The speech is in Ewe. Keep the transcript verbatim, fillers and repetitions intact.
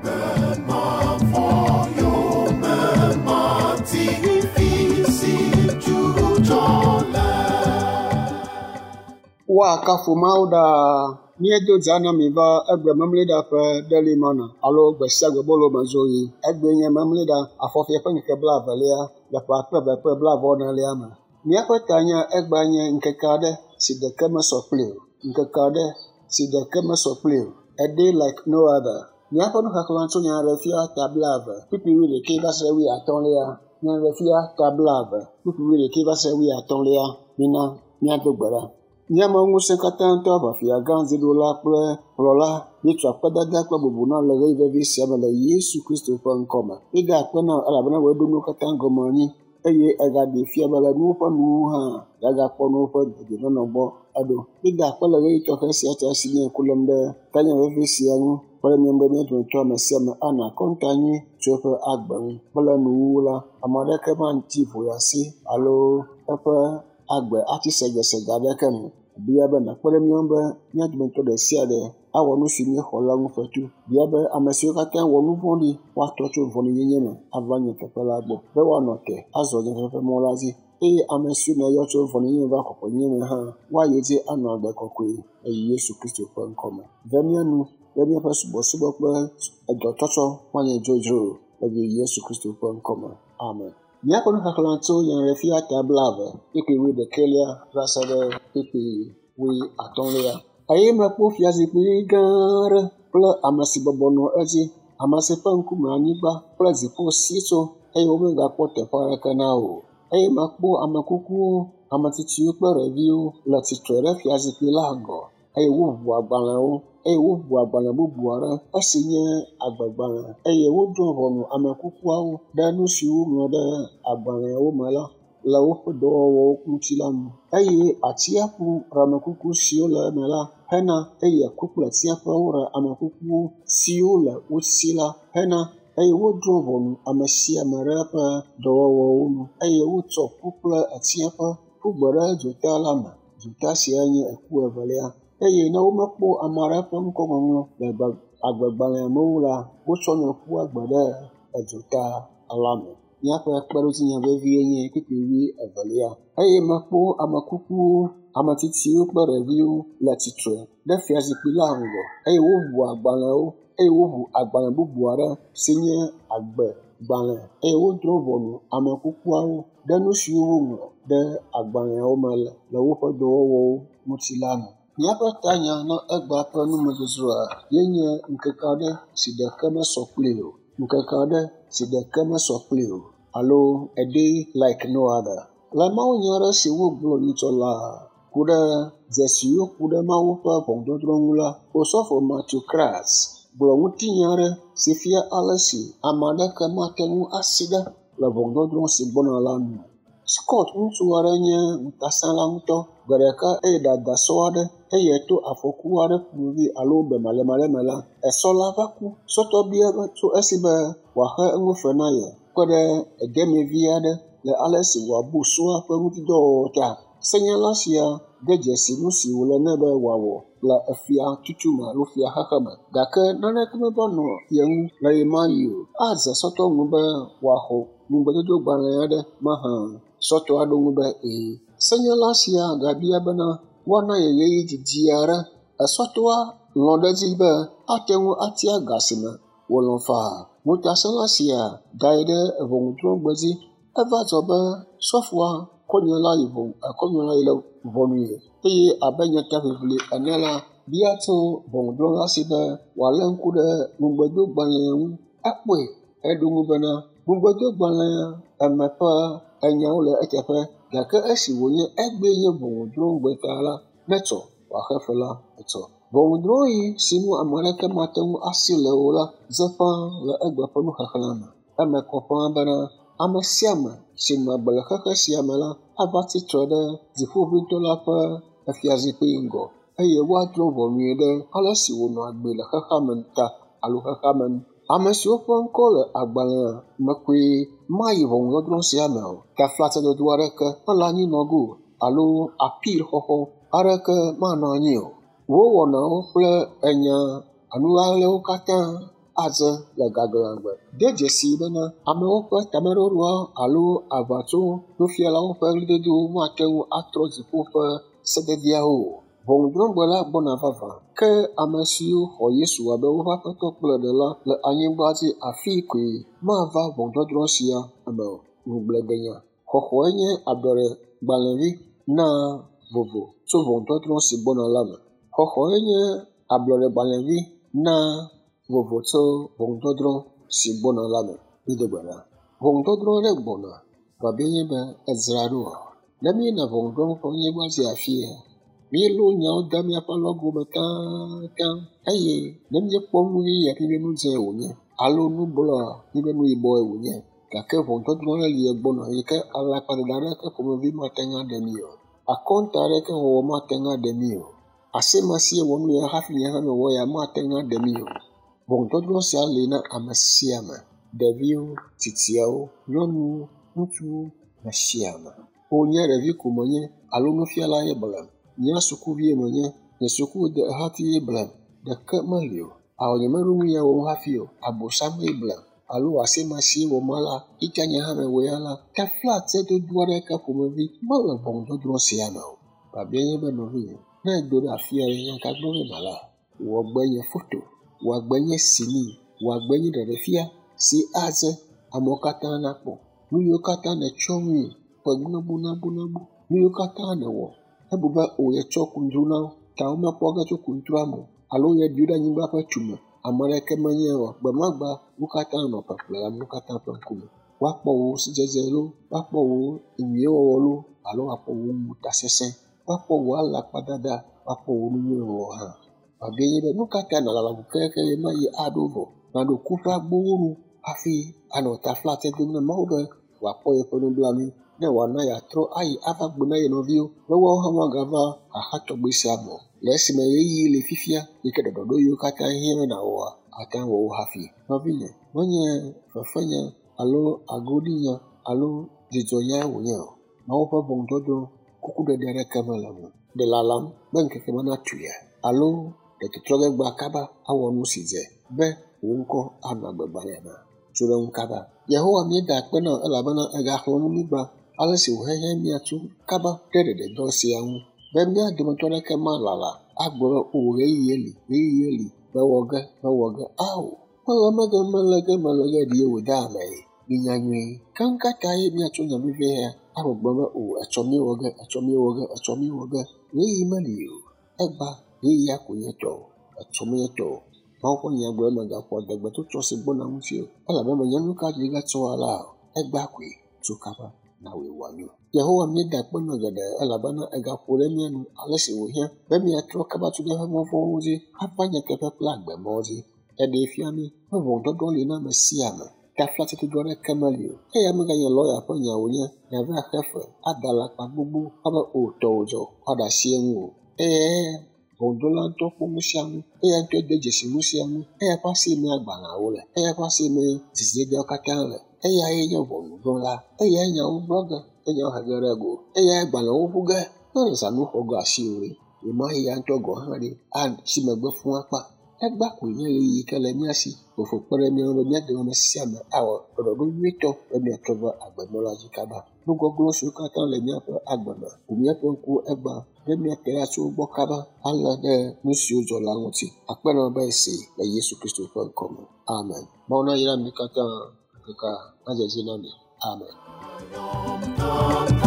Agbe mavɔ yome mati fi si dzudzɔ le. Woakafu Mawu ɖaa. Míedo dza na mi va egbe memleɖa ƒe Daily Manna alo gbe sia gbe bolo me dzoɣi. Egbee nye memleɖa afɔfia ƒe ŋkeke blaevelia le ƒe akpe eve kple blaeve-vɔ-enelia me. Míaƒe tanya egbea nye ŋkeke aɖe si ɖeke mesɔ kpli o. Ŋkeke aɖe si ɖeke mesɔ kpli o. A day like no other. Míaƒe nuxexlẽ tso Nyaɖeɖefia ta blaeve kpukpui wuiɖekɛ va se wuiatɔ̃lia. Nyaɖeɖefia ta blaeve kpukpui wuiɖekɛ va se wuiatɔ̃lia. Mina míado gbe ɖa. Míame ŋusẽ katã tɔ aʋafia gã dziɖula kple kplɔla míetsɔ akpedada kple bubu na le ɣeyiɣi vevi sia me le Yesu Kristo ƒe ŋkɔme. Míeda akpe na wò elabena wòe ɖo nuwo katã gɔme anyi eye egaɖee fia be le nuwo ƒe nuwuwu hã yeagakpɔ nuwo ƒe dedienɔnɔ gbɔ aɖo. Míeda akpe le ɣeyiɣi tɔxɛ sia ta si nye ŋku lém ɖe tanya vevi sia ŋu kple míaƒe be mía dometɔ ame sia ame anɔ akɔnta nyui tso eƒe agbe ŋu. Kple nuwuwu la, ame aɖeke mati ʋuya si alo eƒe agbe atsi segesege aɖeke nu. Bia be nàkpe ɖe mía ŋu be mía dometɔ ɖe sia ɖe awɔ nu si míexɔ la ŋu fetu. Bia be ame siwo katã wɔ nu vɔ̃ɖi woatrɔ tso vɔ̃ɖinyenye me ava nyateƒe la gbɔ be woanɔ te azɔ nyateƒe mɔ la dzi eye ame siwo nèyɔ tso vɔ̃ɖinyenye me va kɔkɔenyenye me hã woayi edzi anɔ agbe kɔkɔe le Yesu Kristo ƒe ŋkɔme. Ve mía nu be míaƒe subɔsubɔ kple edɔtsɔtsɔ manye dzodzro o le Yesu Kristo ƒe ŋkɔme. Amen. Míaƒe nuxexlẽ tso Nyaɖeɖefia ta blaeve kpukpui wuiɖekɛlia va se ɖe kpukpui wuiatɔ̃lia. Eye mekpɔ fiazikpui gã aɖe kple ame si bɔbɔ nɔ edzi, ame si ƒe ŋkume anyigba kple dziƒo si tso eye womegakpɔ teƒe aɖeke na o. Eye mekpɔ ame kukuwo, ame tsitsiwo kple ɖeviwo le tsitre ɖe fiazikpui la ŋgɔ eye woʋu agbalẽwo eye woʋu agbalẽ bubu aɖe esi nye agbegbalẽ eye wodrɔ̃ ʋɔnu ame kukuawo ɖe nu siwo woŋlɔ ɖe agbalẽawo me la le woƒe dɔwɔwɔwo ŋuti la nu. Eye atsiaƒu ɖe ame kuku siwo le eme la hena eye ku kple tsiaƒewo ɖe ame kuku siwo le wo si la hena eye wodrɔ̃ ʋɔnu ame sia ame ɖe eƒe dɔwɔwɔwo nu eye wotsɔ ku kple tsiaƒe ƒu gbe ɖe dzota la me. Dzota sia nye eku evelia. Eye ne womekpɔ ame aɖe ƒe ŋkɔŋɔŋlɔ le agbegbalẽa me o la, wotsɔnɛ ƒua gbe ɖe edzota la me. Míaƒe kpeɖodzinya vevie nye kpukpui wuievelia. Eye mekpɔ ame kukuwo, ame tsitsiwo kple ɖeviwo le tsitre ɖe fiazikpui la ŋgɔ eye woʋu agbalẽwo eye woʋu agbalẽ bubu aɖe si nye agbegbalẽ eye wodrɔ̃ ʋɔnu ame kukuawo ɖe nu siwo woŋlɔ ɖe agbalẽawo me le le woƒe dɔwɔwɔwo ŋuti la nu. Míaƒe tanya na egbea ƒe numedzodzroa ye nye ŋkeke aɖe si ɖeke mesɔ kpli o. Ŋkeke aɖe si ɖeke mesɔ kpli o alo a day like no other. Le mawunya aɖe si wogblɔ nyitsɔ laa ku ɖe dzesiwo ku ɖe Mawu ƒe ʋɔnudɔdrɔ̃ ŋu la, Osɔfo Matthew Kratz gblɔ ŋutinya aɖe si fia ale si ame aɖeke mate ŋu asi ɖe le ʋɔnudɔdrɔ̃ si gbɔna la nu. Scott ŋutsu aɖe nye ŋutasẽla ŋutɔ. Gbe ɖeka eye dada sɔ aɖe eye to afɔku aɖe ƒomevi alo bemalémalé me la, esɔ la va ku. Sɔtɔ bia be tso esi be wòaxe eŋu fe na ye kpe ɖe edemevi aɖe le ale si wòabu sɔa ƒe ŋutidɔwɔwɔ ta. Senyala sia de dzesi nu si wòle nɛ be wòawɔ le efia tutu me alo fia xexe me gake naneke meva nɔ ye ŋu le ɣemaɣi o. Adze sɔtɔ ŋu be wòaxɔ ŋugbedodogbalẽ aɖe mahã. Sɔtɔ aɖo ŋu be ee. Senyala sia gabia bena woana ye ɣeyiɣi didi aɖe. Esɔtɔa lɔ̃ ɖe edzi be ate ŋu atia ga si me wòlɔ̃ faa. Ŋutasẽla sia dae ɖe ʋɔnudrɔ̃gbe dzi. Eva dzɔ be sɔfoa kɔ nya la yi ʋɔnu kɔ nya la yi le ʋɔnui eye abe nyataʋiʋli ene la, bia tso ʋɔnudrɔ̃la si be wòalé ŋku ɖe ŋugbedogbalẽa ŋu. Ekpɔe eɖo ŋu bena ŋugbedogbalẽa eme ƒe enyawo le eteƒe gake esi wònye egbee nye ʋɔnudrɔ̃gbe ta la, netsɔ wòaxe fe la etsɔ. Ʋɔnudrɔ̃ɣi si nu ame aɖeke mate ŋu asi le o la dze ƒãa le egbe ƒe nuxexlẽ me. Eme kɔ ƒãa bena ame sia ame si nɔ agbe le xexe sia me la ava tsitre ɖe dziƒoʋĩtɔ la ƒe efiazikpui ŋgɔ eye woadrɔ̃ ʋɔnui ɖe ale si wònɔ agbee le xexea me ta alo xexea me nu. Ame siwo ƒe ŋkɔ le agbalẽa me koe mayi ʋɔnudɔdrɔ̃ sia me o. Taflatsedodo aɖeke mele anyi nɔ ge o alo apil xɔxɔ aɖeke manɔ anyi o. Wo wɔnawo kple enya anu ɣaɣlɛwo katã adze le gaglãgbe. De dzesi bena amewo ƒe tameɖoɖoa alo aʋatso nufialawo ƒe ɣlidodowo mate ŋu atrɔ dziƒo ƒe sededeawo o. Ʋɔnudrɔ̃gbe la gbɔna vavã. Ke ame siwo xɔ Yesu abe woƒe Aƒetɔ kple Ɖela le anyigba dzi afii koe mava ʋɔnudɔdrɔ̃ sia me o. Ŋugbledenya. Xɔxɔe nye ablɔɖegbalẽvi na vovo tso ʋɔnudɔdrɔ̃ si gbɔna la me. Xɔxɔe nye ablɔɖegbalẽvi na vovo tso ʋɔnudɔdrɔ̃ si gbɔna la me. Mído gbe ɖa. Ʋɔnudɔdrɔ̃ ɖe gbɔna. Biabiae nye be edzra ɖoa? Ne míeyina ʋɔnudrɔ̃ ƒe anyigba dzi afia, míelɔ nyawo de míaƒe alɔgo me taŋtaŋ eye ne míekpɔ nu ɣi ya míebe nu dzẽ wònye alo nu blɔa míebe nu yibɔe wònye. Gake ʋɔnudɔdrɔ̃ ɖe li egbɔna yi ke alakpadada aɖeke ƒomevi mate ŋu aɖe mí o. Akɔnta aɖeke wɔwɔ mate ŋu aɖe mí o. Asimasie wɔ nu ya hafi nye hã mewɔ ya mate ŋu aɖe mí o. Ʋɔnudɔdrɔ̃ sia li na ame sia ame, ɖeviwo, tsitsiawo, nyɔnuwo, ŋutsuwo, ame sia ame. Wò nye ɖevi ko menye alo nufiala ye blem. Nye sukuvie menye, nye sukuhati ye blem. Ɖeke meli o. Awɔ nyemeɖo nu ya wɔm hafi o. Abosamee blem alo asimasie wɔm ala, yitsa nye hã mewɔe ala. Taflatsedodo aɖeke ƒomevi mele ʋɔnudɔdrɔ̃ sia me o. Biabiae nye be nɔvinye, ne edo ɖe afi aɖe nya ka gblɔ be mala, wò agbe nye foto, wò agbe nye sini, wò agbe nye ɖeɖefia si adze amewo katã nakpɔ. Nu yiwo katã nètsɔ nui ƒe gbonabonabonabo, nu yiwo katã nèwɔ ebu be o yetsɔ kundru na wo ta womekpɔ ge tso kundrua me o alo yeɖi wo ɖe anyigba ƒe tume. Ame aɖeke menye o. Gbe ma gbea, wo katã nɔ ƒeƒle le amewo katã ƒe ŋkume. Woakpɔ wò sidzedze loo, woakpɔ wò nyuiwɔwɔ loo alo woakpɔ wò ŋutasesẽ, woakpɔ wò alakpadada, woakpɔ wò nu nyui wɔwɔ hã. Biabiae nye be nu ka ta nàlala ŋu kekeake ɣe ma ɣi aɖo vɔ nàɖo ku ƒe agbowo nu hafi anɔ taflatse dom na Mawu be wòakpɔ yeƒe nublanui ne wòana yeatrɔ ayi ava gblɔ na ye nɔviwo be woawo hã woagava xaxa tɔgbi sia me o. Le esime ɣeyiɣi li fifia yi ke ɖɔɖɔɖo yiwo katã hiã be nàwɔa, ate ŋu awɔ wo hafi. Nɔvinye, menye fefenya alo agoɖinya alo dzidzɔnyae wònye o. Mawu ƒe ʋɔnudɔdrɔ̃ kukuɖeɖe aɖeke mele eme o. Ɖe lalam be ŋkeke ma natu ya alo ɖe tɔtrɔ ge gbea kaba awɔ nu si dze be wò ŋkɔ anɔ agbegbalẽa me. Tso ɖe ŋu kaba. Yehowa míeda akpe na wò elabena ègaxlɔ̃ nu mí gbã ale si wòhehe míatso kaba ɖe ɖeɖedɔ sia ŋu be mía dometɔ aɖeke malala agblɔ be o ɣeyiɣi li, ɣeyiɣi li, mewɔ ge, mewɔ ge. Ao, mele mege, mele ge, mele ge ɖie wòde ame ye. Minya nyuie. Ke nu ka ta ye míatso nya vevie ya agbɔgblɔ be o etsɔ míewɔ ge, etsɔ míewɔ ge, etsɔ míewɔ ge. Ɣeyiɣi meli o. Egba ɣeyiɣia ko nye tɔ o. Etsɔ menye tɔ o. Mawu ƒe nya gblɔ be mègaƒo adegbe tso trɔ si gbɔna ŋuti o elabe menye nu ka dzi gatsɔ alea o. Egba koe tso kaba nawɔe wòanyo. Yehowa míeda akpe na geɖe elabena ègaƒo ɖe mía nu ale si wòhiã be míatrɔ kaba tso míaƒe mɔ vɔ̃wo dzi ava nyateƒe kple agbemɔwo dzi. Eɖee fia mí be ʋɔnudɔdrɔ̃ li na ame sia ame. Taflatsedodo aɖeke meli o. Eya meganye lɔya ƒe nya wònye nàva xe fe ada alakpa gbogbo abe o tɔwò dzɔ woaɖe asi eŋu o. Eye ʋɔnudrɔ̃la ŋutɔ kpɔ nu sia nu. Eya ŋutɔe de dzesi nu sia nu. Eya ƒe asi mee agbalẽawo le. Eya ƒe asi mee zizidedeawo katã le. Eyae nye ʋɔnudrɔ̃la. Eyae nyawo gblɔ ge, enyawo he ge ɖe go. Eyae agbalẽwo ʋu ge. Ne le zãnu xɔ ge asiwò ɖe, ɣemaɣi ya ŋutɔ gɔ̃ hã ɖe atsi megbe fũu akpa. Egba koe nye ɣeyiɣi yi ke le mía si fofo kpe ɖe mía ŋu be mía dome ame sia ame awɔ ɖɔɖɔɖo nyuitɔ be míatrɔ va agbemɔ la dzi kaba. Nu gɔglɔ̃ siwo katã le míaƒe agbe me ʋu míaƒe ŋkuwo egbea be míate ɖa tso wo gbɔ kaba alé ɖe nu siwo dzɔ la ŋuti. Akpe na wò be esi le Yesu Kristo ƒe ŋkɔ me. Amen. Mawu nayra mi katã ŋkekea nadze edzi na mi. Amen. Amen.